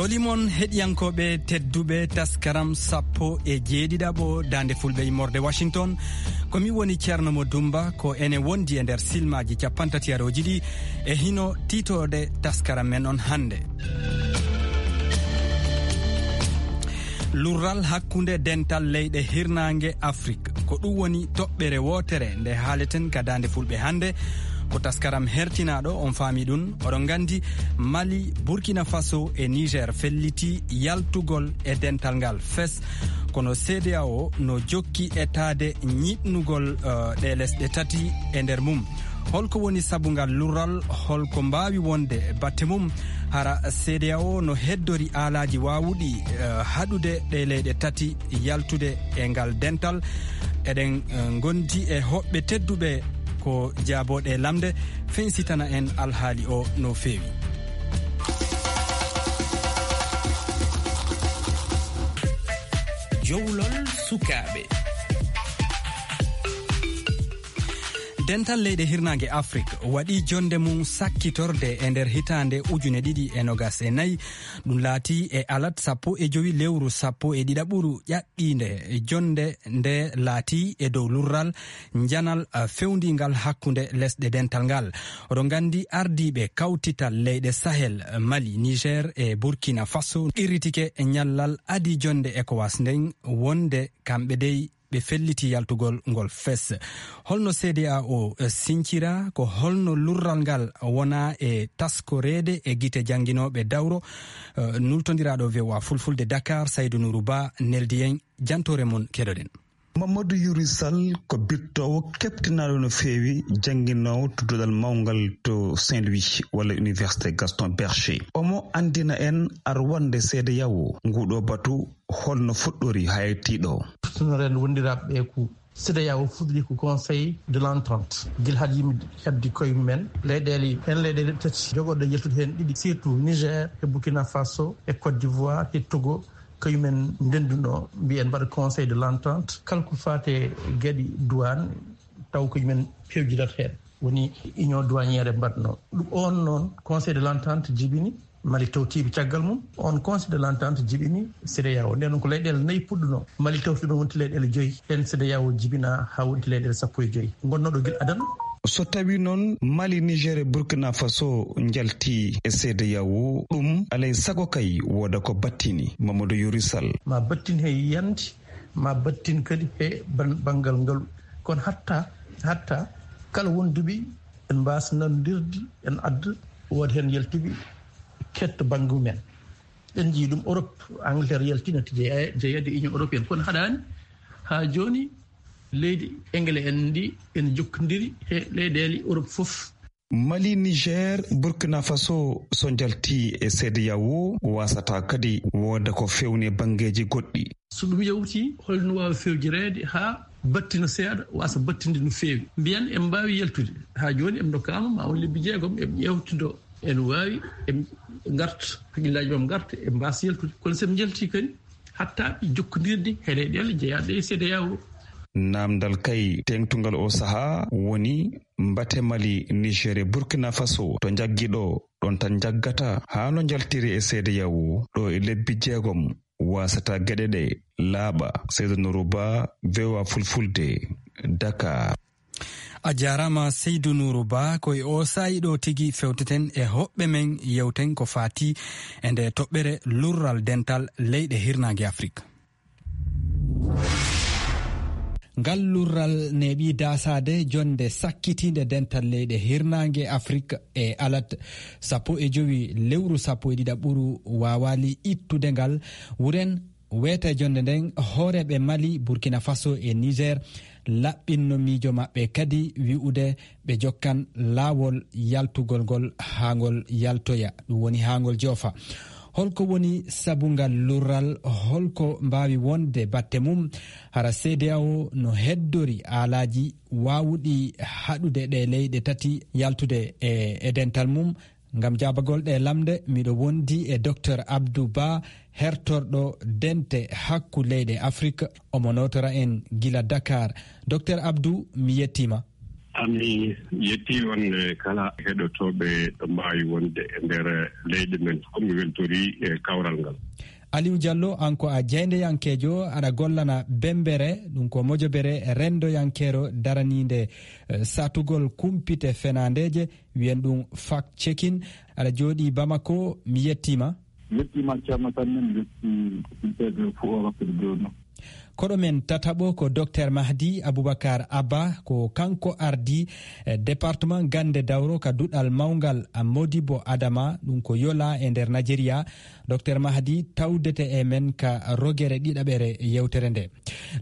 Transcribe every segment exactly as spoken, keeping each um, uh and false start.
Olimon heɗiyankooɓe tedduɓe, taskaram sappo e jeeɗiɗaɓo Daande Fulɓe immorde Washington. Ko mi woni Ceerno Mo Dumba, ko ene wondi e nder silmaaji cappantatiyarooji ɗi e hino tiitoode taskaram men on hannde. Lurral hakkunde dental leyɗe hirnaange Afrik. Ko ɗum woni toɓɓere wootere nde haaleten ka Daande Fulɓe hannde. Ko taskaram hertinaaɗo, on faami ɗum. Oɗon nganndi, Mali, Burkina Faso e Niger felliti yaltugol e dental ngal fes. Kono C D A O no jokki etaade ñiiɓnugol, eh, ɗe lesɗe tati e nder mum. Holko woni sabu ngal lurral? Holko mbaawi wonde batte mum? Hara C D A O no heddori aalaaji waawuɗi, eh, haɗude ɗe leyɗe tati yaltude e ngal dental? Eɗen, eh, ngondi e hoɓɓe tedduɓe ko jaabooɗe lamnde, fensitana en alhaali o no feewi. Jowlol sukaaɓe. Dental leyɗe hirnaange Afrik waɗi jonde mum sakkitorde e nder hitaande ujune ɗiɗi e nogas e nayi. Ɗum laati e alat sappo e jowi lewru sappo e ɗiɗaɓuru ƴaɓɓiinde. Jonde nde laati e dow lurral njanal, eh, fewndingal hakkunde lesɗe dental ngal. Oɗon nganndi ardiiɓe kawtital leyɗe Sahel, eh, Mali, Niger e Burkina Faso qirritike ñallal adi jonde ECOWAS nden wonde kamɓe dey ɓe felliti yaltugol ngol fes. Holno C D A O, eh, sincira? Ko holno lurral ngal wona e taskoreede e gite jannginooɓe dawro? Eh, nultondiraaɗo V O A Fulfulde Dakar, Saydou Nourou Ba, neldi en jantoore mum, keɗoɗen. Mamadou Youri Sall ko bittoowo keptinaaɗo no feewi, jannginoowo to duɗal mawngal to Saint-Louis walla Université Gaston Berger. Omo anndina en arwannde C D A O nguɗo batu, holno fuɗɗori haa yettii ɗo. Tunoren wondiraaɓe ɓe ko C D A O fuɗɗori ko Conseil de l'Entente. Gila haade yimɓe heddi koye mumen, leyɗeele, heen leyɗeele tati jogorɗe yaltude heen ɗiɗi, surtout Niger e Burkina Faso e Côte d'Ivoire e Togo, kañumen ndennduno, mbiyen mbaɗa Conseil de l'Entente. Kala ko faati e geɗe douane, taw ko yimɓe pewjidata heen. Woni union douanière mbaɗno. Ɗum on noon, Conseil de l'Entente jibini, Mali tawtiiɓe caggal mum. On Conseil de l'Entente jibini C D A O. Nden noon ko leyɗeele nayi puɗɗuno. Mali tawtuno wonti leyɗeele joyi. Heen C D A O jibina haa wonti leyɗeele sappo e joyi. Ngonnooɗo gila adan. So tawi noon Mali, Niger e Burkina Faso njalti e C D A O, ɗum alay sago kay wooda ko battini. Mamadou Youri Sall. Ma battin he yiyande, ma battin kadi he ban-, banngal ngalu. Kono hatta, hatta kala wonduɓe en mbaasa nanondirde, en adda, wooda heen yaltuɓe ketta bannge mumen. En njii ɗum Europe, Angleterre yalti, natti jeya-, jeyeede e Union européenne. Kono haɗaani haa jooni leydi Engele en ndi ene jokkondiri he leyɗeele Europe fof. Mali, Niger, Burkina Faso so njalti e C D A O, waasata kadi wooda ko fewni e banngeeji goɗɗi. So ɗum yawti, holno waawi fewjireede haa battina seeɗa, waasa battinde no feewi? Mbiyen en mbaawi yaltude. Haa jooni en ndokkaama ma won lebbi jeegom, en ƴeewtido, en waawi, en ngarta, hakkillaaji mam ngarta, en mbaasa yaltude. Kono so en njalti kadi, hatta jokkondirde he leyɗeele jeyaaɗe e C D A O. Naamndal kay teeŋtungal o sahaa woni mbate Mali, Niger e Burkina Faso to njaggi ɗo, ɗon tan njaggata haa no njaltiri e C D A O ɗo e lebbi jeegom, waasata geɗe ɗe laaɓa. Seydou Nourou Ba, V O A Fulfulde, Dakar. A jaaraama Seydou Nourou Ba, ko e o saa'i ɗo tigi fewteten e hoɓɓe men, yewten ko faati e nde toɓɓere lurral dental leyɗe hirnaange Afrik. Ngal lurral neeɓi daasaade jonnde sakkitiinde dental leyɗe hirnaange Afrik e alat sappo e jowi lewru sappo e ɗiɗaɓuru waawaali ittude ngal. Wuren weeta e jonnde nden, hooreeɓe Mali, Burkina Faso e Niger laɓɓinno miijo maɓɓe kadi wi'ude ɓe jokkan laawol yaltugol ngol haa ngol yaltoya, ɗum woni haa ngol joofa. Holko woni sabu ngal lurral? Holko mbaawi wonde batte mum? Hara C D A O no heddori aalaaji waawuɗi haɗude ɗe leyɗe tati yaltude e, e dental mum? Ngam jaabagol ɗe lamnde, miɗo wondi e Docteur Abdou Ba, hertorɗo dente hakku leyɗe Afrik. Omo nootora en gila Dakar. Docteur Abdou, mi yettiima. Ami yetti on, eh, kala heɗotooɓe ɗo mbaawi wonde e nder leyɗe men fof, mi weltori, eh, kawral ngal. Aliou Diallo, an ko a jaayndeyankeejo, aɗa gollana Bembere, ɗum ko mojobere renndoyankeero daraniinde, eh, satugol kumpite fenaandeeje, wiyen ɗum fact checking. Aɗa jooɗii Bamako, mi yettiima. Yettiima, Ceerno Sammel, yetti ɓe fof o wakkati jooni. Koɗo men tataɓo ko Docteur Mahdi Aboubacar Abba, ko kanko ardii, eh, département Gannde Dawro ka duɗal mawngal, ah, Modibo Adama, ɗum ko Yola e nder Najeriya. Docteur Mahdi tawdete e men ka rogere ɗiɗaɓere yewtere nde.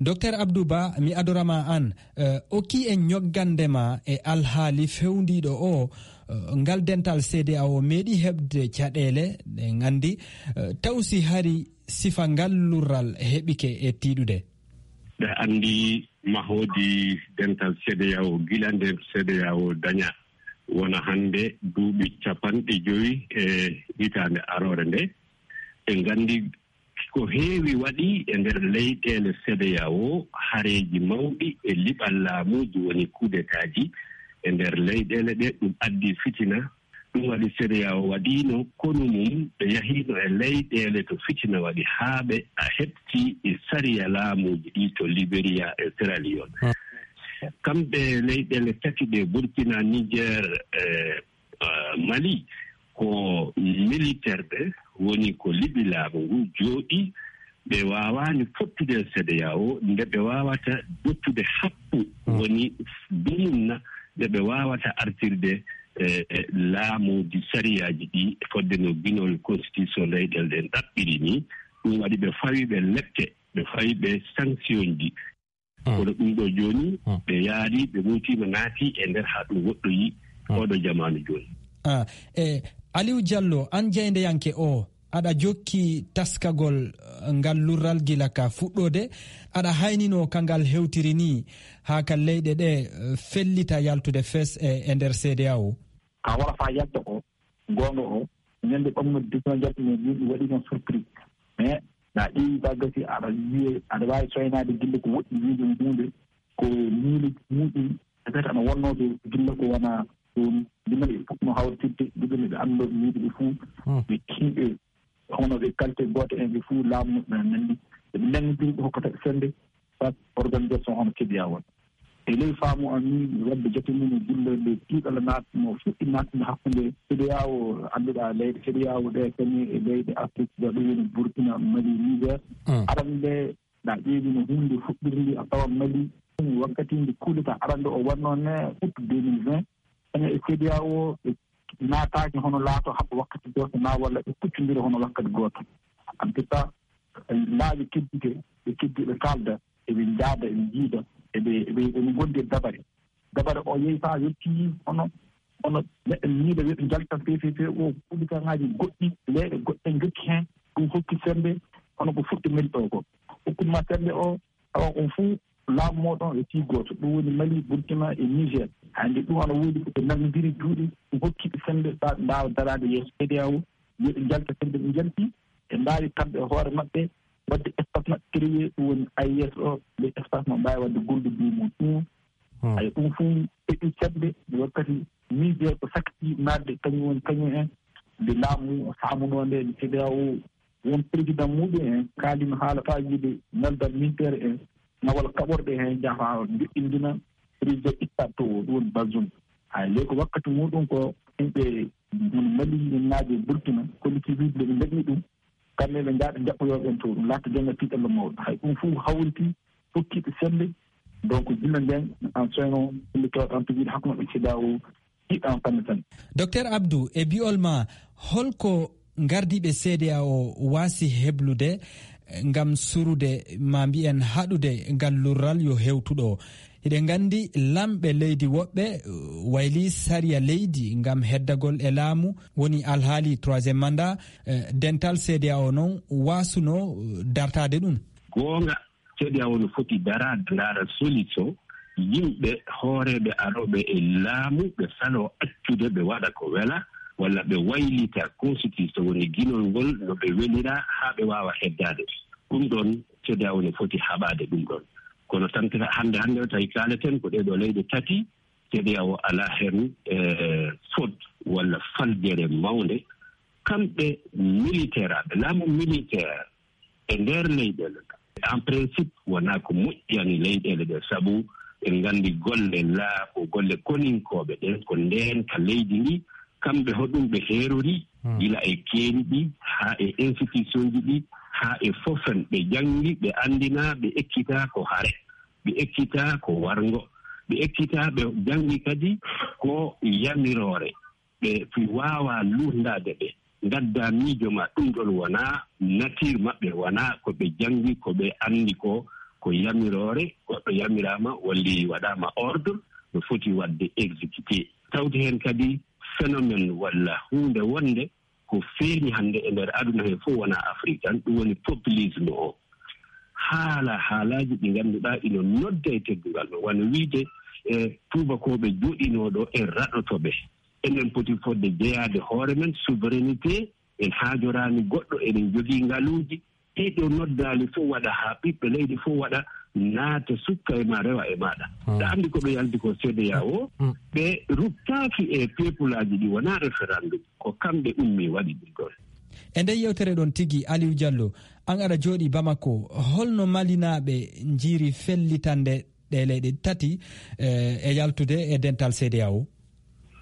Docteur Abdou Ba, mi adorama an, eh, okki en ñoggande ma e alhaali fewndiiɗo o, eh, ngal dental C D A O meeɗi heɓde caɗeele, ɗen anndi, eh, taw si hari sifa ngal lurral heɓike e tiiɗude? Ɓe anndi mahodi dental C D A O, gila nde C D A O daña, wona hannde duuɓi capanɗe jowi e hitaande aroore nde. Ɓe nganndi ko heewi waɗi e nder leyɗeele C D A O, hareeji mawɗi e liɓal laamuuji, woni kudetaaji e nder leyɗeele ɗe, ɗum addi fitina. Ɗum waɗi C D A O waɗiino konu mum, ɓe yahiino e leyɗeele to fitina waɗi, haa ɓe a heɓti e sariya laamuuji ɗi to Liberia e Sierra Leone. Hmm. Kamɓe leyɗeele tati ɗe, Burkina, Niger, e, e, Mali, ko militaire ɓe woni ko liɓi laamu ngu jooɗi, ɓe waawaani fottude e C D A O, nde ɓe waawata dottude happu, hmm, woni dumunna, nde ɓe waawata artirde, e, e, laamuuji, sariyaaji ɗi fodde no ginol constitution leyɗeele ɗen ɗaɓɓiri ni. Ɗum waɗi ɓe fawi ɓe lepte, ɓe fawi ɓe sanction ji. Hmm. Kono ɗum ɗo jooni, hmm, ɓe yaari, ɓe muutima, naati e nder haa ɗum woɗɗoyi, hmm, oɗo jamaanu jooni. Ah, e Aliou Diallo, an jaayndeyanke o, aɗa jokki taskagol, eh, ngal lurral gila ka fuɗɗoode, aɗa hayninoo ka ngal hewtiri ni, haa ka leyɗe ɗe, eh, fellita yaltude fes e, e nder C D A O? Ka wara faa yalta ko, goonga o, ñande ɓamno dina jattuno ni, ɗum waɗi kan surprise. Mais na ƴeewi ba gasi, aɗa wiye, aɗa waawi soynaade gille ko woɗɗi wiide huunde, ko miile muɗum, peut-être aɗa wonnoo to gilla ko wona ɗum. Gilla e puɗɗo hawtirde, gilla ɓe annda miijo ɓe fuu, hmm, ɓe kiiɓe, hono ɓe kalte gooto en ɓe fuu laamu muɓɓen nanndi. Ɓe nanngondiri ɓe hokkata ɓe sennde, soit organisation hono C D A O. E ley faamu am ni, wadde jate mum e gilla nde tiiɗalla naatno, fuɗɗi naatno hakkunde C D A O, annduɗaa leyɗe C D A O ɗe kañum e leyɗe Afrique, ɗo ɗum woni Burkina, Mali, Niger. Hmm. Aɗa anndi nde, na ƴeewi no huunde fuɗɗirndi a tawa Mali, wakkati nde coup d'État arande o wannoo ne, août deux mille vingt, ene e C D A O ɓe naataaki hono laato haɓa wakkati gooto na walla ɓe kuccondira hono wakkati gooto. En tout cas, laabi keddiiɗe, ɓe keddi ɓe kaalda, eɓe njaada, eɓe njiida, eɓe, eɓe, eɓe ngondi e dabare. Dabare o yehi faa yettii hono, hono neɗɗo miijo wiya ɓe njalta P P P o, kuɗikaaŋaaji goɗɗi, leyɗe goɗɗe njokki heen, ɗum hokki semmbe, hono ko fuɗɗi mel ɗo ko. Hokkuma semmbe o, tawa on fuu laamu mooɗon e fii gooto, ɗum woni Mali, Burkina e Niger. Hannde ɗum ana woodi ko ɓe nanndondiri juuɗe, ɗum hokki ɓe semmbe faa ɓe mbaawa daraade yeeso C D A O, yo ɓe njalta semmbe ɓe njalti, ɓe mbaawi kamɓe e hoore maɓɓe waɗde espace maɓɓe créé, ɗum woni A E S o, le espace mo mbaawi waɗde golludi mum ɗum. Hmm. Ay, ɗum fuu heɓi semmbe, wakkati Niger ko sakki naatde, kañum woni kañum en, nde laamu faamunoo nde, nde C D A O won président muɗum en kaalino haala faa wiide naldal militaire en, nawal kaɓorɗe heen, njaha joɗɗindina président ittaɗo to o, ɗum woni Bazoum. Hay ley ko wakkati muɗum ko yimɓe hono Mali, en naaje Burkina, kolliti wiide nde ɓe ndañi ɗum, kamɓe ɓe njaha ɓe njaɓɓoyoo ɓen to, ɗum laata jonnga tiiɗalla mawɗo. Hay ɗum fof hawriti, hokki ɓe semmbe. Donc, gila ndeen, en soyno, ɓe tawata en pijiiɗo hakkunde maɓɓe C D A O, tiiɗa en fannu tan. Docteur Abdou, e bi'ol ma, holko ngardiiɓe C D A O waasi heblude, eh, ngam surude, ma mbiyen haɗude ngal lurral yo hewtuɗo? Hiɗen nganndi lamɓe leydi woɓɓe, eh, wayli sariya leydi ngam heddagol e laamu, woni alhaali troisième mandat, eh, dental C D A O noon waasuno, eh, dartaade ɗum. Goonga, C D A O no foti daraade, ndaara solution, yimɓe hooreeɓe arooɓe e laamu, ɓe saloo accude, ɓe waɗa ko wela, walla ɓe waylita constitution, woni ginol ngol no ɓe welira haa ɓe waawa heddaade. Ɗum ɗoon, C D A O no foti haɓaade ɗum ɗoon. Kono tan, hannde, hannde o tawi kaaleten ko ɗee ɗoo leyɗe tati, CEDEAO alaa heen, eh, fot walla faljere mawnde. Kamɓe militaire, aɓe laamu militaire e nder leyɗeele. En principe, wonaa ko moƴƴani leyɗeele ɗe, sabu en nganndi golle laa ko golle koninkooɓe ɗen, ko ndeen ka leydi ndi, kamɓe hoɗum ɓe heerori, hmm, gila e keeri ɗi, haa e institution ji ɗi, haa e fof en, ɓe janngi, ɓe anndina, ɓe ekkitaa ko hare, ɓe ekkitaa ko warngo, ɓe ekkitaa, ɓe janngi kadi ko yamiroore. Ɓe fi waawa luurndaade ɓe, ngaddaa miijo ma, ɗum ɗon wonaa nature maɓɓe, wonaa ko ɓe janngi, ko ɓe anndi ko, ko yamiroore, goɗɗo yamiraama, walli waɗaama ordre, no foti waɗde exécuté. Tawti heen kadi phénomène walla huunde wonde ko feeñi hannde e nder aduna he fof, wonaa Afrik tan, ɗum woni populisme o. Haala, haalaaji ɗi ngannduɗaa ina nodda e teddungal, no wano wiide, e tuubakooɓe joɗinooɗo e raɗotoɓe. Enen poti fodde jeyaade hoore men, souveraineté, en haajoraani goɗɗo, eɗen jogii ngaluuji. Ɗiɗo noddaali fof waɗa haa ɓiɓɓe leydi fof waɗa, naata sukka e ma, rewa e maaɗa. Hmm. Ɗa anndi ko ɓe yalti ko CEDEAO, hmm, ɓe ruttaaki e peuplaaji ɗi, wonaa référendum. Ko kamɓe ummi waɗi ɗum ɗon. E nder yewtere ɗon tigi, Aliou Diallo, an aɗa jooɗi Bamako, holno Malinaaɓe njiiri fellitande ɗe leyɗe tati, eh, e yaltude e dental CEDEAO?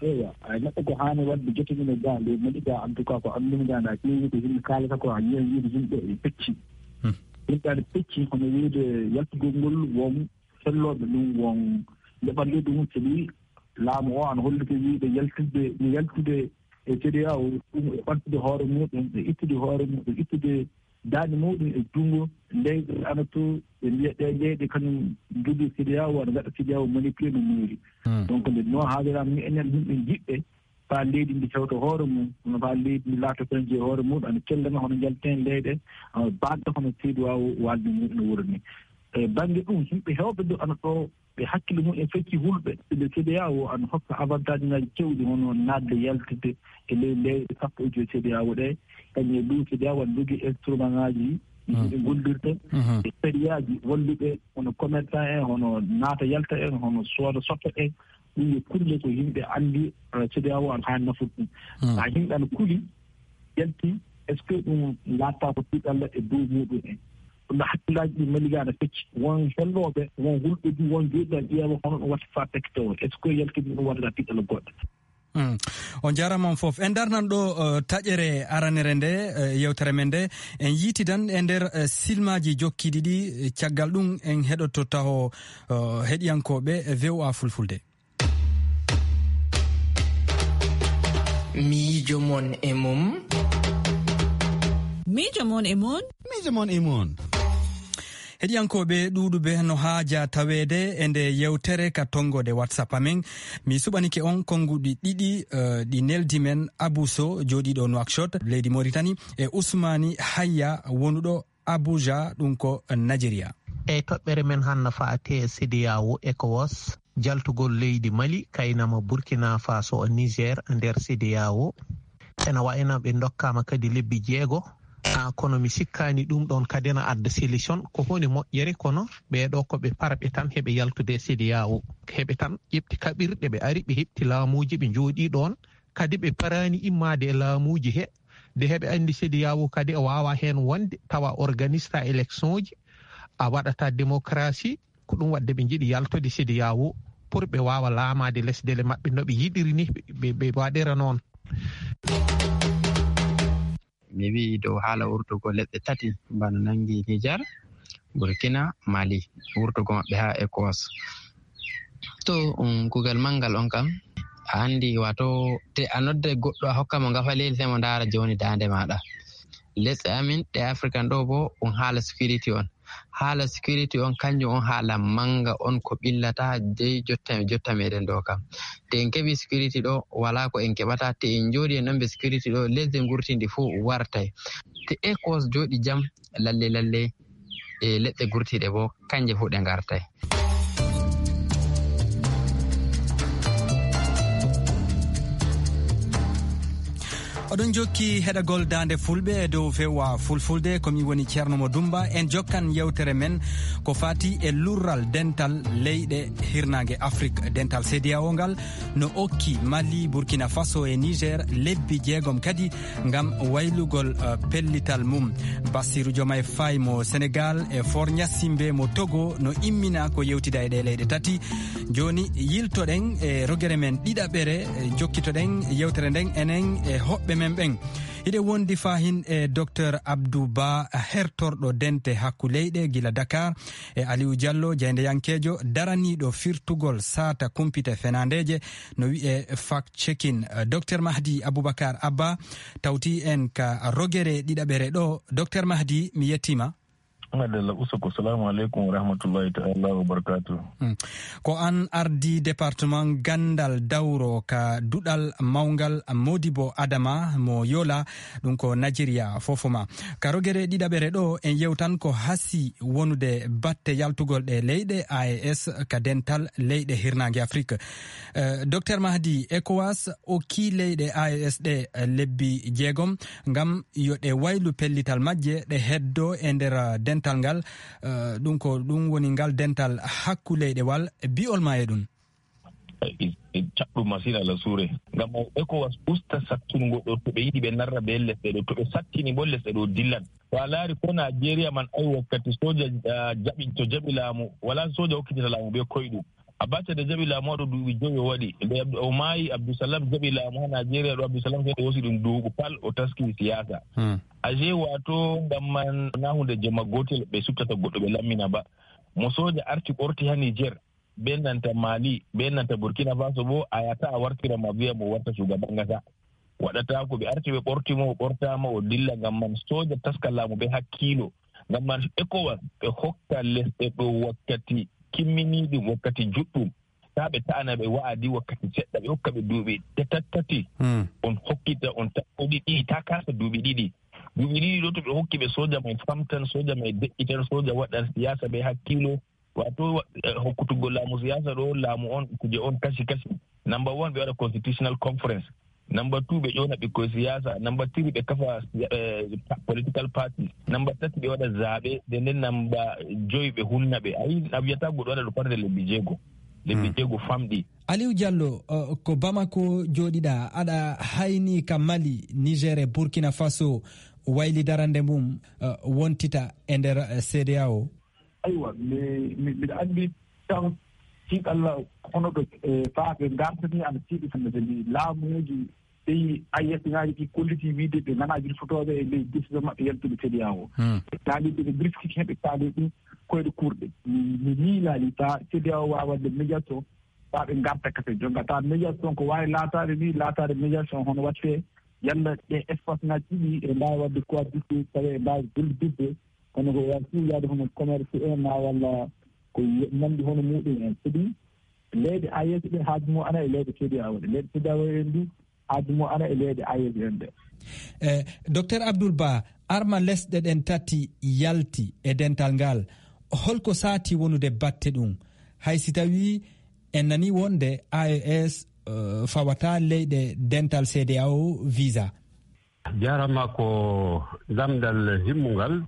Eewa, ay neɗɗo ko haani waɗde joto mum e ga, nde Mali ga, en tout cas, ko anndumi ga, nda ƴeewi ko yimɓe kaalata ko, a yiyan wiide yimɓe e pecci. Hmm. Yimɓe aɗa pecci, hono wiide yaltugol ngol won sellooɓe ɗum, won ndeɓanɗe ɗum, so ɗi laamu o ana holliti wiide yaltidde, yaltude e CEDEAO, ɗum e ɓamtude hoore muɗum, e ittude hoore muɗum, e ittude daaɗe muɗum e junngo leyɗe ana to, ɓe mbiya ɗe leyɗe kañum jogii CEDEAO, ana ngaɗa CEDEAO manipulé no moƴƴi. Hmm. Donc, nde no haaliraama ni, enen yimɓe jiɗɓe faa leydi ndi hewta hoore mum, no faa leydi ndi laata koye hoore mum, ana cellana hono njalten leyɗe, ana baɗɗo hono CEDEAO waalde mum no wuro ni. E bannge ɗum, yimɓe heewɓe ɗo ana ɗo, ɓe hakkille mum en fecci hulɓe. Nde CEDEAO ana hokka avantage ŋaaji keewɗi, hono naatde yaltude e ley leyɗe sappo e joy CEDEAO ɗe. Kañum e ɗum, CEDEAO ana jogii instrument ŋaaji ɗi, hmm, ɓe gollirta, mhm, e sariyaaji walluɓe, hono commerçant en, hono naata yalta en, hono sooda soppa en. Ɗum yo kulle ko yimɓe anndi, eh, CEDEAO ana haani nafude ɗum. Hmm. Haa yimɓe ana kuli, yalti, est-ce que ɗum laatta ko tiiɗalla e dow muɗum en? Ɗum ɗo hakkillaaji ɗi Mali ga ana pecci. Won hellooɓe, won hulɓe du, won jooɗiiɓe ƴeewa hono ɗum watta faa pecce tawo. Est-ce que yalti ɗum waɗata tiiɗalla goɗɗo? Hmm. On jaaraama on fof. En darnan ɗo, eh, taƴere aranere nde, eh, yewtere men nde. En yiitidan e nder, eh, silmaaji jokkiiɗi ɗi, eh, caggal ɗum en heɗoto taho, eh, heɗiyankooɓe V O A Fulfulde. Miijo mon e mum. Miijo mon e mon. Miijo mon e mon. Heɗiyankooɓe ɗuuɗuɓe no haaja taweede e nde yewtere ka tonngode WhatsApp amen. Mi suɓanike on konnguɗi ɗiɗi, eh, ɗi neldi men Abou Sow, jooɗiiɗo Nouakchott, leydi Mauritanie, e Ousmani Hayya, wonuɗo Abuja, ɗum ko Nigeria. E toɓɓere men hannde faati e CEDEAO, ECOWAS, jaltugol leydi Mali, Kaynama, Burkina Faso, Niger nder CEDEAO. Ena wayno ɓe ndokkaama kadi lebbi jeego. Ah, kono mi sikkaani ɗum ɗoon kadi ena adda solution. Ko honde moƴƴere, kono ɓee ɗoo ko ɓe parɓe tan heɓe yaltude e CEDEAO. Heɓe tan ƴeɓti kaɓirɗe, ɓe ari, ɓe heɓti laamuuji, ɓe njooɗii ɗoon. Kadi ɓe paraani immaade e laamuuji he, de heɓe anndi CEDEAO kadi o waawaa heen wonde, tawa organista élection ji, a waɗata démocratie, ko ɗum waɗde ɓe njiɗi yaltode CEDEAO pour ɓe waawa laamaade lesdele maɓɓe no ɓe yiɗiri ni, ɓe, ɓe, ɓe waɗira noon. Mi wi'i dow haala wurtugol leɗɗe tati, bana nanngi Niger, Burkina, Mali, wurtugol maɓɓe haa ECOWAS. To, um, kuugal manngal on kam, a anndi, waato, te a nodda goɗɗo, a hokka mo ngafaleeli, sey mo ndaara jooni daande maaɗa. Lesɗe amin ɗe African ɗo bo, um haala security on. Haala security on, kanjum on haala mannga on ko ɓillata dey jotta, jotta meɗen ɗo kam. Te en keɓi security ɗo, walaa ko en keɓata. Te en njooɗi en ɗon be security ɗo, lesdi ngurtindi fuu wartay. Te ECOWAS jooɗi jam, lalle, lalle, e leɗɗe gurtiiɗe bo, kanje fuu ɗe ngartay. Oɗon jokki heɗagol Daande Fulɓe e dow V O A Fulfulde, ko mi woni Ceerno Mo Dumba. En jokkan yewtere men ko faati e lurral dental leyɗe hirnaange Afrik. Dental C D A O ngal no okki Mali, Burkina Faso e Niger lebbi jeegom kadi ngam waylugol, eh, pellital mum. Bassirou Diomaye Faye mo Senegal e Faure Gnassingbé mo Togo no immina ko yewtida e ɗe leyɗe tati. Jooni, yiltoɗen e rogere men ɗiɗaɓere, e jokkitoɗen yewtere nden enen e hoɓɓe men ɓen. Hiɗen wondi fahin e Docteur Abdou Ba, hertorɗo dente hakku leyɗe gila Dakar, e Aliou Diallo, jaayndeyankeejo daraniiɗo firtugol saata kumpite fenaandeeje, no wi'e fact checking. Docteur Mahdi Aboubacar Abba tawti en ka rogere ɗiɗaɓere ɗo. Docteur Mahdi, mi yettima. Madalla, usoko. Salamu aleykum wa rahmatullahi ta'ala wa barakatuh. Hmm. Ko an ardi département Gandal Dawro ka duɗal mawngal Modibo Adama mo Yola, ɗum ko Nigeria fofoma. Ka rogere ɗiɗaɓere ɗo, en yewtan ko hasi wonude batte yaltugol ɗe leyɗe A E S ka dental leyɗe hirnaange Afrique. Eh, Docteur Mahdi, ECOWAS okki leyɗe A E S ɗe, eh, lebbi jeegom ngam yo ɗe waylu pellital majje, ɗe heddo e nder, eh, dental ngal. Eh, ɗum ko ɗum woni ngal dental hakku leyɗewal. Bi'ol ma e ɗum? E, e caɗɗum masin, Alla suure. Ngam ECOWAS usta sattungo ɗo, to ɓe yiɗi ɓe narra be lesɗe ɗo, to ɓe sattini bo lesɗe ɗo dillan. To a laari ko Nigeria man, ay wakkati soja, ah, jaɓi, to jaɓi laamu, wala soja hokkitata laamu be koyɗum. Abacha da jaɓi laamu ɗo duuɓi jowi o waɗi. Nde Abdu-, o maayi, Abdulsalam jaɓi laamu ha Nigeria ɗo, Abdulsalam sai o hosi ɗum duuɓu pal o taski siyasa. Hmm. Ashe wato ngam man na hunde jemma gotel ɓe suttata goɗɗo ɓe lammina ba. Mo soja arti ɓorti ha Niger, be nanta Mali, be nanta Burkina Faso bo, a yata a wartira ma viya mo warta shugaban kasa. Waɗata ko ɓe arti ɓe ɓorti mo, o ɓortama o dilla. Ngam man soja taska laamu be hakkilo. Ngam man ECOWAS ɓe hokka lesɗe ɗo wakkati kimminiɗum, wakkati juɗɗum. Ta ɓe ta'ana ɓe wa'adi wakkati seɗɗa, ɓe hokka ɓe duuɓi tatattati. Hmm. On hokkita, on ta-, ɗiɗi, ta kasa duuɓi ɗiɗi. Duuɓi ɗiɗi ɗo to ɓe hokki ɓe soja mai famtan, soja mai de'itan, soja waɗan siyasa be hakkilo. Wato, eh, hokkutuggo laamu siyasa ɗo, laamu on, kuje on kashi kashi. Number one, ɓe waɗa constitutional conference. Number two, ɓe ƴona ɓikkoy siyasa. Number three, ɓe kafa, eh, pa-, political party. Number tati, ɓe waɗa zaɓe. Nden nden number joyi, ɓe hunna ɓe. Ayi, a wiyata goɗɗo waɗa ɗo farde lebbi jeego. Lebbi Hmm. jeego famɗi. Aliou Diallo, uh, ko Bamako jooɗiɗa, aɗa hayni ka Mali, Niger e Burkina Faso wayli darande mum, uh, wontita e nder, uh, C D A O? Aywa, mi, mi, miɗa anndi tan, si Allah, hono ɗo, eh, faa ɓe ngartani, ana tiiɗi tan, sabi laamuuji ɗi A E S ŋaaji ɗi kolliti wiide ɓe nganaa wirtotooɓe e ley décision maɓɓe yaltude C D A O. Hmm. Ɓe kaali ɓe, ɓe mbriskiti heen, ɓe kaali ɗum koyɗe kurɗe. Mi, mi miilaali faa C D A O waawa waɗde médiation, faa ɓe ngarta kafe. Jonka taa médiation ko waawi laataade ni, laataade médiation hono waɗtee yalla ɗe espace ŋaaji ɗiɗi e mbaawi waɗde cohabitation, tawa e mbaawi gollidde. Kono ko waawi fuu yaade hono commerce en maa walla ko ye-, nanndi hono muuɗum en. Sabi leyɗe A E S ɗe haaju mum ana e leyɗe C D A O ɗe. Leyɗe C D A O en du haaju mum ana e leyɗe A E S en ɗe. Eh, Docteur Abdoul Ba, arma lesɗe ɗen tati yalti e dental ngal, holko saati wonude batte ɗum? Hay si tawii en nanii wonde A E S, eh, fawataa leyɗe dental C D A O visa. Jarama ko lamndal himmungal,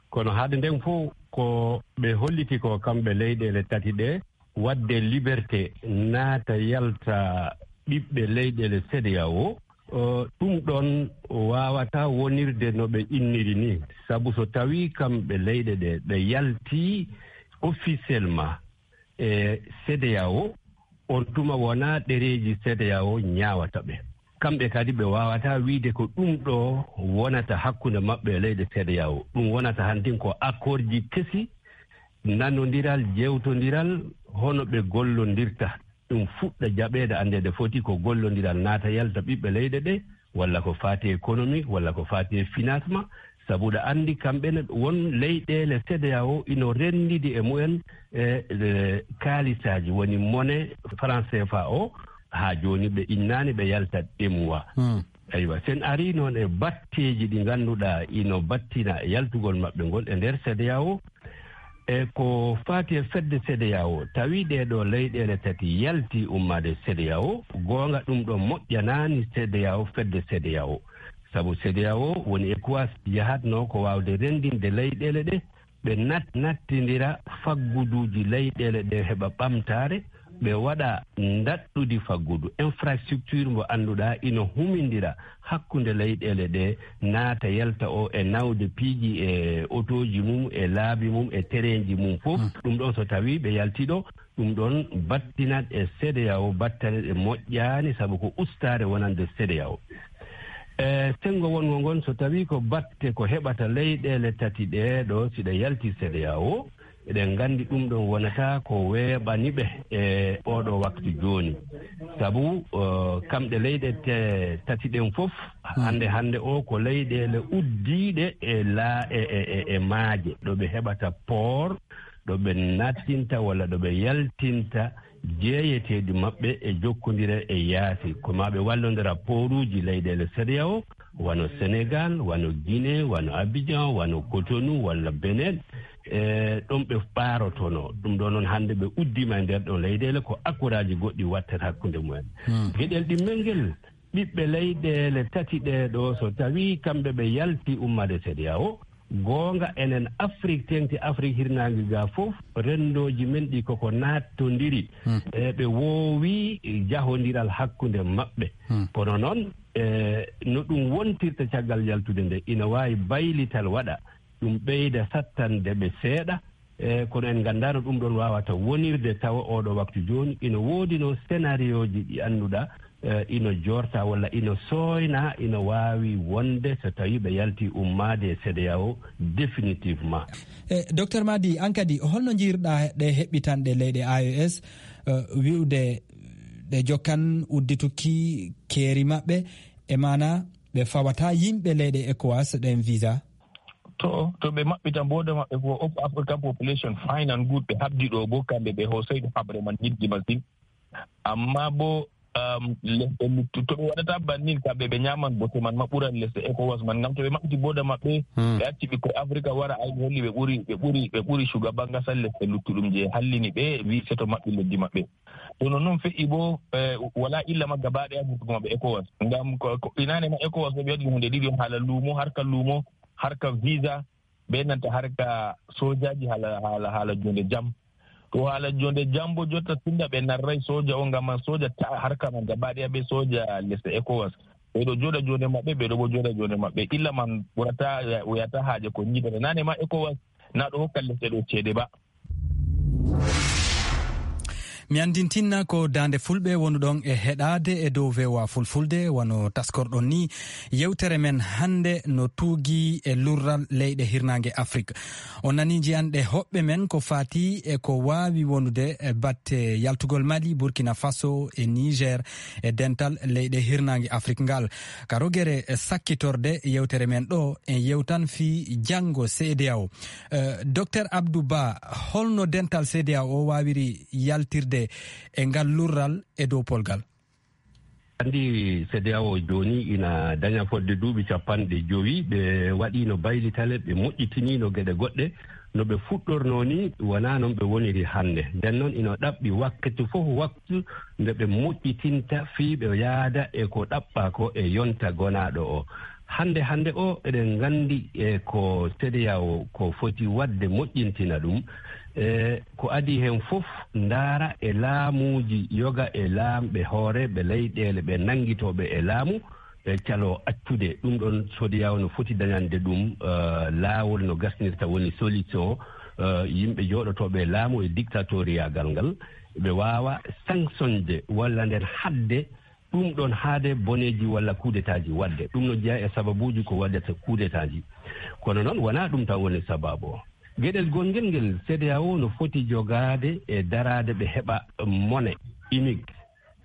kono haade nden fof ko ɓe holliti ko kamɓe leyɗeele tati ɗe, waɗde liberté naata yalta ɓiɓɓe leyɗeele C D A O. O, ɗum ɗon waawata wonirde no ɓe inniri ni, sabu so tawii kamɓe leyɗe ɗe ɓe yaltii officiellement e C D A O, on tuma wonaa ɗereeji C D A O ñaawata ɓe. Kamɓe kadi ɓe waawataa wiide ko ɗum ɗo wonata hakkunde maɓɓe e leyɗe C D A O. Ɗum wonata hantin ko accord ji kesi, nanondiral, jewtondiral, hono ɓe gollondirta. Ɗum fuɗɗa jaɓeede, anndeede foti ko gollondiral naata yalta ɓiɓɓe leyɗe ɗe, walla ko faati économie, walla ko faati financement, sabu ɗa anndi kamɓe ne won leyɗeele C D A O ino renndidi e mumen e, e kaalisaaji, woni monnaie franc C F A o, haa jooni ɓe innaani ɓe yalta E M O A. Hmm. Eywa, sen arii noon e batteeji ɗi ngannduɗaa ino battina e yaltugol maɓɓe ngol e nder C D A O, e ko faati e fedde C D A O, tawi ɗee ɗoo leyɗeele tati yaltii ummaade C D A O, goonga ɗum ɗo moƴƴanaani C D A O, fedde C D A O. Sabu CEDEAO woni ECOWAS yahatnoo ko waawde renndinde leyɗeele ɗe, ɓe nat-, nattindira fagguduuji leyɗeele ɗe heɓa ɓamtaare, ɓe waɗa ndaɗɗudi faggudu, infrastructure mo annduɗaa ina humindira hakkunde leyɗeele ɗe, naata yalta o e nawde piiji e otooji mum, e laabi mum, e tereenji mum fof. Mm. Ɗum ɗon so tawii ɓe yaltii ɗo, ɗum ɗon battinat e CEDEAO battane ɗe moƴƴaani, sabu ko ustaare wonande CEDEAO. E senngo wonngo ngon, so tawii ko batte ko heɓata leyɗeele tati ɗee ɗo, si ɗe yaltii CEDEAO, eɗen nganndi ɗum ɗon wonata ko weeɓani ɓe e ooɗoo waktu jooni. Sabu, eh, kamɗe leyɗe te-, tati ɗen fof, hannde, hannde o ko leyɗeele uddiiɗe e laa-, e, e, e, e maaje, ɗo ɓe heɓata poor, ɗo ɓe nattinta walla ɗo ɓe yaltinta jeeyeteeɗi maɓɓe e jokkondire e yaasi. Ko maa ɓe wallondira pooruuji leyɗeele CEDEAO, wano Senegal, wano Guinée, wano Abidjan, wano Cotonou, walla Benin. E ɗon ɓe ɓaarotonoo. Ɗum ɗoo noon hannde ɓe uddiima e nder ɗon leyɗeele ko akkoraaji goɗɗi wattata hakkunde mumen. Hmm. Geɗel ɗimmel ngel, ɓiɓɓe leyɗeele tati ɗee ɗoo, so tawii kamɓe ɓe yaltii ummaade CEDEAO, goonga enen Afrik, teeŋti Afrik hirnaange ga fof, renndooji men ɗi koko naattondiri. Hmm. E ɓe woowi jahondiral hakkunde maɓɓe. Hmm. Kono noon, e no ɗum wontirta caggal yaltude nde, ina waawi baylital waɗa, ɗum ɓeyda sattande ɓe seeɗa. E kono en nganndaano ɗum ɗon waawata wonirde tawa ooɗoo waktu jooni ina woodinoo scénarioji ɗi annduɗaa, eh, ino joorta walla ino sooyna, ino waawi wonde so tawii ɓe yaltii ummaade e CEDEAO définitivement. E, Docteur Madi, aan kadi, holno njiirɗaa ɗe heɓɓitanɗe leyɗe A E S, eh, wi'ude ɗe jokkan uddituki keeri maɓɓe, e maana ɓe fawata yimɓe leyɗe ECOWAS ɗen visa? To, to ɓe maɓɓita booda maɓɓe ko Op African Population Finance Group ɓe habdi ɗo bo kamɓe ɓe hoosay ɗo haɓre man yidde masin. Amma bo, um, lesɗe luttu-, to ɓe waɗata bannin kamɓe ɓe ñaaman bote man maɓɓuran lesɗe ECOWAS man. Ngam to ɓe maɓɓiti booda maɓɓe, hmm, ɓe acci ɓikkoy Afrika wara ay ɓe holli ɓe ɓuri, ɓe ɓuri, ɓe ɓuri shugaban gasal lesɗe luttuɗum je hallini ɓe wi seto maɓɓi leddi maɓɓe. To non non feƴƴi bo, eh, wala illa magga baɗe ha vurtugo maɓɓe ECOWAS. Ngam ko, ko inane ma ECOWAS ɓe waɗi hunde ɗiɗi on, hala lumo, harka lumo, harka visa, be nanta harka sojaji hala, hala, hala jonde jam. To hala jonde jam bo jotta tunda ɓe narrai soja on ngam man soja ta harka man gaba ɗaya be soja lesɗe ECOWAS. Ɓe ɗo joɗa jonde maɓɓe, ɓe ɗo bo joɗa jonde maɓɓe. Illa man ɓurata, wiyata haje ko nyiɓata. Nane ma ECOWAS na ɗo hokka lesɗe ɗo cede ba. Mi andintinna ko Daande Fulɓe wonuɗon e heɗaade e dow V O A Fulfulde, wano taskorɗon ni yewtere men hannde no tuugi e lurral leyɗe hirnaange Afrik. On nani njiyanɗe hoɓɓe men ko faati e ko waawi wonude e batte yaltugol Mali, Burkina Faso e Niger e dental leyɗe hirnaange Afrik ngal. Ka rogere sakkitorde yewtere men ɗo, en yewtan fii janngo CEDEAO. Eh, Docteur Abdou Ba, holno dental CEDEAO waawiri yaltirde e ngal lurral e dow polgal? Anndi CEDEAO jooni ina daña fodde duuɓi capanɗe jowi, ɓe waɗiino baylitale, ɓe moƴƴitiniino geɗe goɗɗe. No ɓe fuɗɗornoo ni, wonaa noon ɓe woniri hannde. Nden noon, ina ɗaɓɓi waktu fof waktu nde ɓe moƴƴitinta fii ɓe yaada e ko ɗaɓɓaa ko e yonta gonaaɗo o. Hannde, hannde o, eɗen nganndi e ko CEDEAO ko foti waɗde moƴƴintina ɗum. E ko adii heen fof, ndaara e laamuuji yoga e laamɓe hooreeɓe leyɗeele ɓe nanngitooɓe e laamu, e caloo accude. Ɗum ɗoon CEDEAO no foti dañande ɗum, eh, laawol no gasnirta woni solution, eh, yimɓe jooɗotooɓe e laamu e dictatoriyagal ngal, ɓe waawa sanctionde walla nden haɗde ɗum ɗoon haade boneeji walla kudetaaji waɗde. Ɗum no jeyaa e sababuuji ko waɗata kudetaaji. Kono noon, wonaa ɗum tan woni sababu o. Geɗel gongel ngel, CEDEAO no foti jogaade e daraade ɓe heɓa mone unique.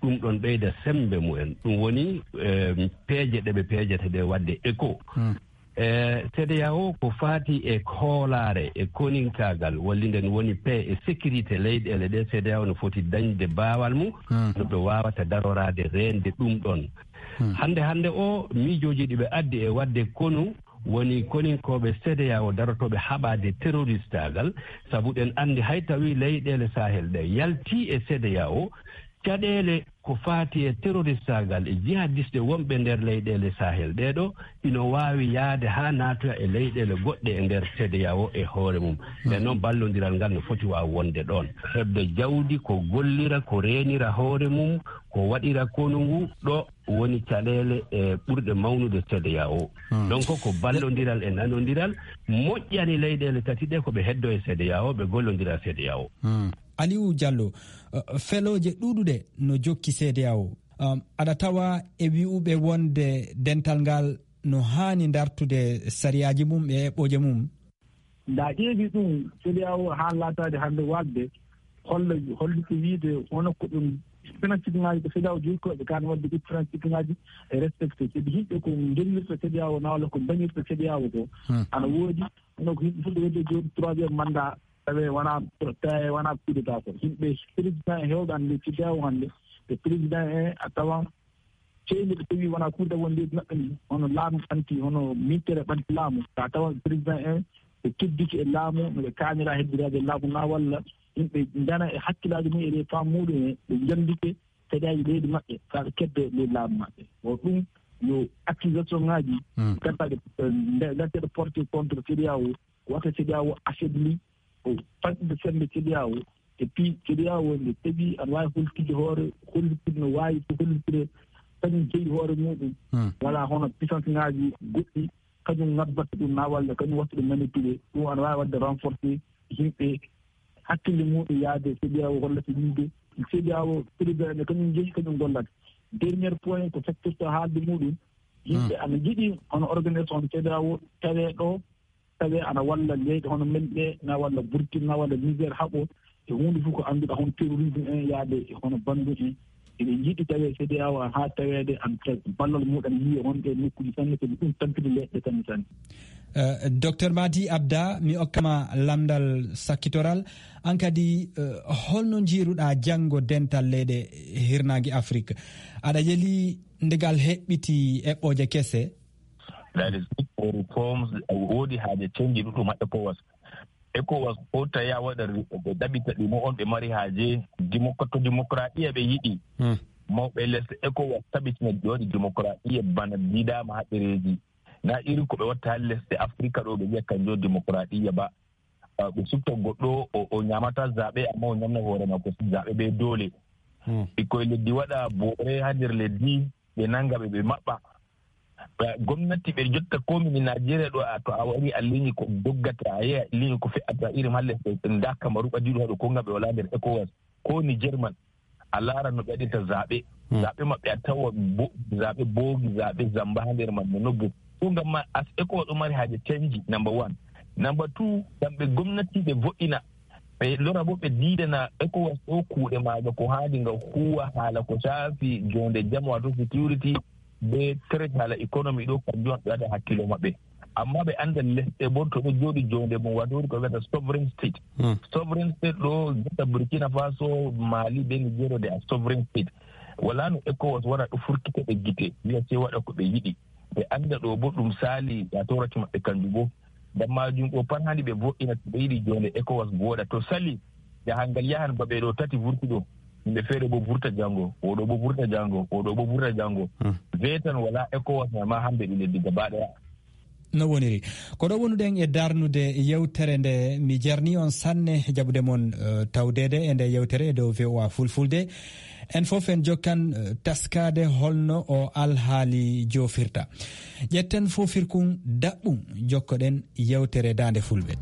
Ɗum ɗoon ɓeyda semmbe mumen. Ɗum woni, eh, peeje ɗe ɓe peejata ɗe waɗde éco. Hmm. E CEDEAO ko faati e hoolaare, e koninkaagal, walli nden woni paix e sécurité leyɗeele ɗe, CEDEAO no foti dañde baawal mum, hmm, no ɓe waawata daroraade reende ɗum ɗoon. Hmm. Hannde, hannde o, miijooji ɗi ɓe addi e waɗde konu woni koninkooɓe CEDEAO darotooɓe haɓaade terroristaagal, sabu ɗen anndi hay tawi leyɗeele Sahel ɗe yaltii e CEDEAO, Caɗeele ko faati e terroristaagal e jihadiste wonɓe nder leyɗeele Sahel ɗee ɗoo, ino waawi yahde haa naatoya e leyɗeele goɗɗe e nder CEDEAO e hoore mum. Nden noon, ballondiral ngal no foti waaw wonde ɗoon. Heɓde jawdi ko gollira, ko reenira hoore mum, ko waɗira konu ngu, ɗo woni caɗeele, e, ɓurɗe mawnude CEDEAO. Donc, ko ballondiral e nanondiral moƴƴani leyɗeele tati ɗe, ko ɓe heddo e CEDEAO, ɓe gollondira e CEDEAO. Aliou Diallo, eh, felooje ɗuuɗuɗe no jokki CEDEAO. Um, aɗa tawa e wi'uɓe wonde dental ngal no haani dartude sariyaaji mum e eɓɓooje mum? Nda ƴeewi ɗum, CEDEAO haa laataade hannde waɗde, holla, holliti wiide hono ko ɗum principe ŋaaji ko CEDEAO jogii ko ɓe kan waɗde ɗi principe ŋaaji e respecté. Sabi yimɓe ko ngellirta CEDEAO, na walla ko mbañirta CEDEAO ko. Hmm. Ana woodi, hono ko yimɓe fulɓe wiyde jooni troisième mandat, tawi wona, tawi wona coup d'état ko. Yimɓe président e heewɓe hannde CEDEAO hannde, ɓe président e a tawan ceeɗu ɓe tawi wona kuuta won leydi maɓɓe ndi, hono laamu ɓanti, hono militaire ɓanti laamu. Ka tawa président en ɓe keddiki e laamu, no ɓe kaanira hebbiraade e laamu na walla yimɓe ndana e hakkillaaji mum e ɗe faamu muɗum en, ɓe njandike seeɗaaji leydi maɓɓe, ka ɓe kedde ley laamu maɓɓe. O ɗum yo accusation ŋaaji, hmm, gannduɗaa ɗe, eh, nde, nde porté contre CEDEAO, wata CEDEAO affaibli, o faɗɗude semmbe CEDEAO, e puis CEDEAO nde tawi ana waawi holtitde hoore, hollitirde no waawi so hollitire, kañum jeyi hoore muɗum. Hmm. Wala hono puissance ŋaaji goɗɗi, kañum ngabbata ɗum na walla kañum watta ɗum manipulé. Ɗum ana waawi waɗde renforcé yimɓe hakkille muɗum yaade CEDEAO hollata yimɓe. CEDEAO président ne kañum jeyi, kañum gollata. Dernier point ko secteur to haalde muɗum. Yimɓe ana njiɗi hono organisation CEDEAO tawe ɗo, tawi ana walla leyɗe hono men ɗe, na walla Burkina, na walla Niger, haɓo e huunde fof ko annduɗaa hono terrorisme en, yaade e hono banndum en. Eɓe njiɗi tawi CEDEAO haa taweede ana tawi ballal muɗum ana yiye honde e nokkuuji sanne, sabi ɗum tampini leyɗe sanne sanne. Eh, Docteur Madi Abda, mi okkama lamndal sakkitoral. An kadi, eh, holno njiiruɗaa janngo dental leyɗe hirnaange Afrik? Aɗa yeli nde ngal heɓɓiti eɓɓooje kese? That is it for reforms. Woodi haaje change ɗuɗɗum ha ECOWAS. ECOWAS ko tawi a waɗa ri-, ɓe ɗaɓɓita ɗi mo on ɓe mari haaje. Dimok-, to dimokuraɗiya ɓe yiɗi. Hmm. Mawɓe lesɗe ECOWAS tabitina ɓe waɗi dimokuraɗiya bana diidaama ha ɗereeji. Na iri ko ɓe watta ha lesɗe Afrika ɗo ɓe wiya kanjo dimokuraɗiya ba. Ah, ɓe sutta goɗɗo, o, o ñamata zaɓe, amma o ñamna hoore makko zaɓe be doole. Hmm. Ɓikkoy leddi waɗa boore ha nder leddi, ɓe nanga ɓe, ɓe maɓɓa. Ba gomnati ɓe jotta ko min Najeriya ɗo, a, to a wari a liñi ko doggata, a yehi a liñi ko fe'ata irin ha lesɗe, nda Kamaru ɓadiɗo haɗo ko ngam ɓe wala nder ECOWAS. Ko Niger man, a laara no ɓe waɗirta zaɓe. Hmm. Zaɓe maɓɓe a tawa bo-, zaɓe boogi, zaɓe zamba ha nder man no nobbu. Ɗum ngam ma as ECOWAS ɗo mari haaje canji, number one. Number two, kamɓe gomnati ɓe vo'ina. Ɓe lora bo ɓe diidana ECOWAS ɗo kuuɗe maaga ko haandi nga huwa haala ko shaafi jonde jam, wato security, be trade haala economy ɗo, kanjum on ɓe waɗa hakkilo maɓɓe. Amma ɓe anda lesɗe bo to ɗo jooɗi jonde mum, wato woni ko ɓe wiyata sovereign state. Hmm. Sovereign state ɗo, jotta Burkina Faso, Mali, be Niger, they are sovereign state. Wala no ECOWAS wara ɗo furkita ɓe gite, wiya sey waɗa ko ɓe yiɗi. Ɓe anda ɗo bo ɗum saali, wato raki maɓɓe kanjum bo. Ngam majum ɗo pat haandi ɓe vo'ina to ɓe yiɗi jonde ECOWAS vooɗa. To sali, jahangal yahan ba ɓe ɗo tati vurti ɗo. Yimɓe feere bo vurta jango, o ɗo bo vurta jango, o ɗo bo vurta jango. Hmm. Vetan wala ECOWAS ma, ma hambe ɗi leddi gaba ɗaya. No woniri. Ko ɗo wonuɗen e darnude yewtere nde, mi jarni on sanne jaɓude mon, eh, tawdeede e nde yewtere e dow V O A Fulfulde. En fof en jokkan, eh, taskaade holno o alhaali joofirta. Ƴetten foofirkun daɓɓun, jokkoɗen yewtere Daande Fulɓe.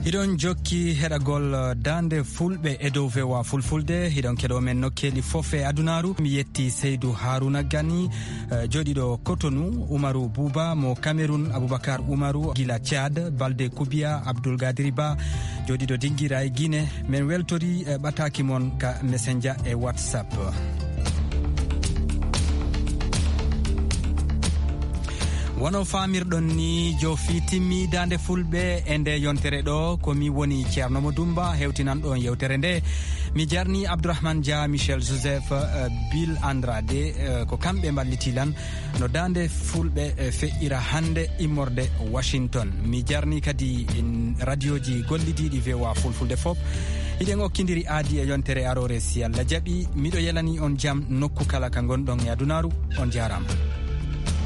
Hiɗon jokki heɗagol, eh, Daande Fulɓe e dow V O A Fulfulde. Hiɗon keɗo men nokkeeli fof e adunaaru. Mi yetti Seydou Harouna Gani, eh, jooɗiiɗo Cotonou, Umaru Buuba mo Cameroun, Aboubacar Umaru gila Tchad, Balde Koubiya, Abdoul Gadiri Ba, jooɗiiɗo Dingira e Guinée. Men weltori, eh, ɓataaki mon ka Messenger e WhatsApp. Wano faamirɗon ni, joofi timmi Daande Fulɓe e nde yontere ɗo. Ko mi woni Ceerno Mo Dumba, hewtinan ɗon yewtere nde. Mi jarni Abdourahmane Dia, Michel Joseph, eh, Bill Andrade, eh, ko kamɓe mballiti lan no daande fulɓe, eh, feƴƴira hannde immorde Washington. Mi jarni kadi, mm, radioji gollidiiɗi V O A Fulfulde fof. Hiɗen okkindiri aadi e yontere aroore si Allah jaɓi. Miɗo yelani on jam nokku kala ka ngonɗon e adunaaru. On jaaraama.